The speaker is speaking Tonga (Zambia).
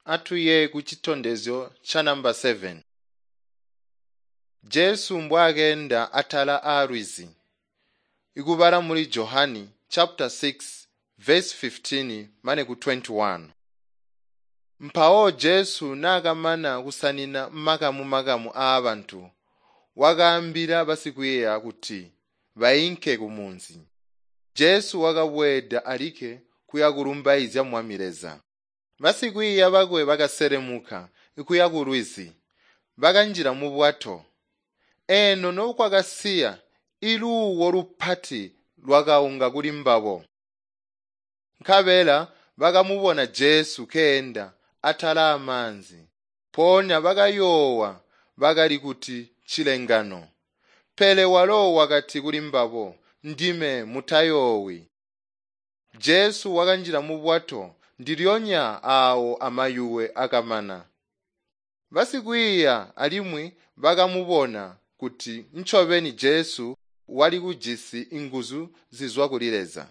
Atuye kucitondezyo ca namba 7. Jesu mbwaakenda atala aalwizi. Ikubala muli Johani chapter 6 verse 15 mane ku 21. Mpawo Jesu naakamana kusanina makamu-makamu aabantu, wakaambila basikwiiya kuti bainke kumunzi. Jesu wakabweeda alikke kuya kulumbaizya Mwami Leza. Basikwiiya bakwe bakaselemuka kuya kulwizi, bakanjila mubwato. Eno nokwakasiya iluuwo lupati lwakaunga kuli mbabo. Nkabela bakamubona Jesu keenda atala amaanzi. Mpoonya bakayoowa bakali kuti ncilengano. Pele walo wakati kuli mbabo, “Ndime mutayoowi.” Jesu wakanjila mubwato ndilyonya aawo amayuwe akamana. Basikwiiya alimwi bakamubona kuti ncobeni Jesu wali kujisi nguzu zizwa kuli Leza.